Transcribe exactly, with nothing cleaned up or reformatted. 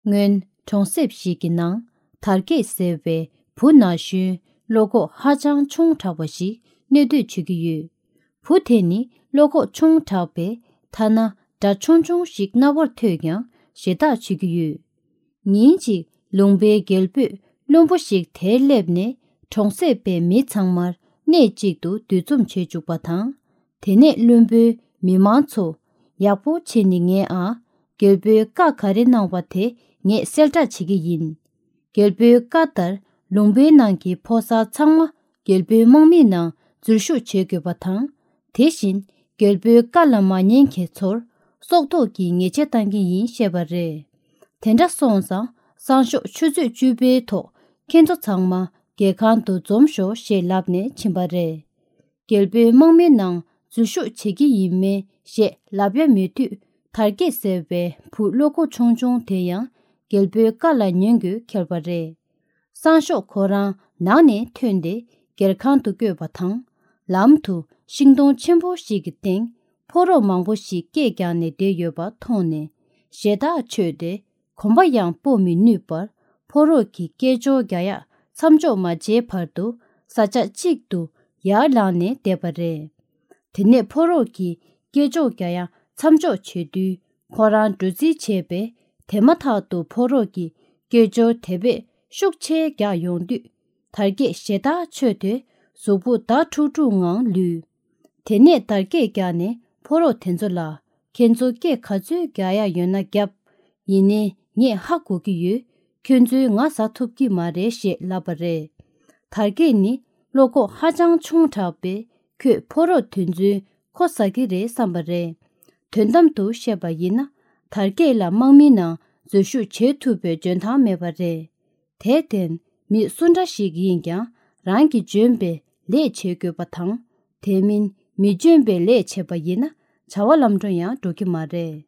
སྔོན་གྲོང་གསེབ་ཞིག་གི་ནང་དར་རྒྱས་ཟེར་བའི་བུ་ན་གཞོན་བློ་ཁོག་ཧ་ཅང་ཆུང་དྲགས་པ་ཞིག་གནས་སྡོད་བྱེད་ཀྱི་ཡོད། བུ་དེ་ནི་བློ་ཁོག་ཆུང་དྲགས་པས་ཐ་ན་སྒྲ་ཆུང་ཆུང་ཞིག་རྣ་བར་ཐོས་ཀྱང་ཞེ་ཐག་ཆོད་ཀྱི་ཡོད། ཉིན་གཅིག་ལུང་པའི་རྒྱལ་པོས་བློན་པོ་ཞིག་དེར་སླེབས་ནས་གྲོང་གསེབ་པའི་མི་ཚང་མར་གནས་གཅིག་ཏུ་འདུ་འཛོམས་བྱེད་བཅུག་པ་དང་། དེ་ནས་བློན་པོས་མི་མང་ཚོ། ཡག་པོ་བྱས་ནས་ཉན་ཨ། རྒྱལ་པོའི་བཀའ་ག་རེ་གནང་བ་དེ་ངས་གསལ་བསྒྲགས་བྱེད་ཀྱི་ཡིན། རྒྱལ་པོའི་བཀའ་ལྟར་ལུང་པའི་ནང་གི་ཕོ་གསར་ཚང་མ་རྒྱལ་པོའི་དམག་མིའི་ནང་འཛུལ་ཞུགས་བྱེད་དགོས་པ་དང་། དེ་བཞིན་རྒྱལ་པོའི་བཀའ་ལ་མ་ཉན་མཁན་ཚོར་སྲོག་ཐོག་གི་ཉེས་ཆད་བཏང་གི་ཡིན་བཤད་པ་རེད། དེ་འདྲ་སོང་ཙང་སང་ཞོགས་ཆུ་ཚོད་བཅུ་པའི་ཐོག་ཁྱེད་ཚོ་ཚང་མ་རྒྱལ་ཁང་དུ་འཛོམས་ཤོག་ཞེས་ལབ་ནས་ཕྱིན་པ་རེད། རྒྱལ་པོའི་དམག་མིའི་ནང་འཛུལ་ཞུགས་བྱེད་ཀྱི་ཡིན་མིན་ཞེས་ལབ་ཡ་མེད་དུས། དར་རྒྱས་ཟེར་བའི་བུ་བློ་ཁོག་ཆུང་ཆུང་དེ་ཡང་རྒྱལ་པོའི་བཀའ་ལ་ཉན་དགོས་ཁེལ་བ་རེད། སང་ཞོགས་ཁོ་རང་ནང་ནས་ཐོན་ཏེ་རྒྱལ་ཁང་དུ་བསྐྱོད་པ་དང་། ལམ་དུ་ཤིང་སྡོང་ཆེན་པོ་ཞིག་གི་སྟེང་ཕོ་རོག་མང་པོ་ཞིག་སྐད་རྒྱག་ནས་བསྡད་ཡོད་པ་མཐོང་ནས་ཞེ་ཐག་ཆོད་དེ། གོམ་པ་ཡང་སྤོ་མི་ནུས་པར་ཕོ་རོག་གི་སྐད་ཅོར་རྒྱག་ཡ་མཚམས་འཇོག་མ་བྱས་བར་དུ་ས་ཆ་གཅིག་ཏུ་ཡར་ལངས་ནས་བསྡད་པ་རེད། དེ་ནས་ཕོ་རོག་གིས་སྐད་ཅོར་རྒྱག་ཡ་མཚམས་འཇོག་བྱེད་དུས་ཁོ་རང་འགྲོ་རྩིས་བྱས་པས། དེ་མ་ཐག་ཏུ་ཕོ་རོག་གིས་སྐད་ཅོར་དེ་བས་ཤུགས་ཆེ་རྒྱག་ཡོང་དུས། དར་རྒྱས་ཞེ་ཐག་ཆོད་དེ་གཟུགས་པོ་འདར་ཁྲུག་ཁྲུག་ངང་ལུས། དེ་ནས་དར་རྒྱས་རྒྱག་ནས་ཕོ་རོག་དེ་ཚོ་ལ། ཁྱེད་ཚོ་སྐད་ག་ཚོད་རྒྱག་ཡ་ཡོད་ན་རྒྱབ། ཡིན་ནའི་ངས་ཧ་གོ་གི་ཡོད། ཁྱོད་ཚོས་ང་ཟ་ཐུབ་ཀྱི་མ་རེད་ཞེས་ལབ་པ་རེད། དར་རྒྱས་ནི་བློ་ཁོག་ཧ་ཅང་ཆུང་དྲགས་པས། ཁོས་ཕོ་རོག་དེ་ཚོའི་ཁོ་ཟ་གི་རེད་བསམ་པ་རེད། དོན་དམ་དུ་བཤད་པ་ཡིན་ན། དར་རྒྱས་ལ་དམག་མིའི་ནང་འཛུལ་ཞུགས་བྱེད་ཐུབ་པའི་འཇོན་ཐང་མེད་པ་རེད། དེར་བརྟེན། མི་སུ་འདྲ་ཞིག་ཡིན་ཀྱང་རང་གིས་འཇོན་པའི་ལས་བྱེད་དགོས་པ་དང་། དེ་མིན་མི་འཇོན་པའི་ལས་བྱས་པ་ཡིན་ན་བྱ་བ་ལམ་འགྲོ་ཡང་འགྲོ་གི་མ་རེད།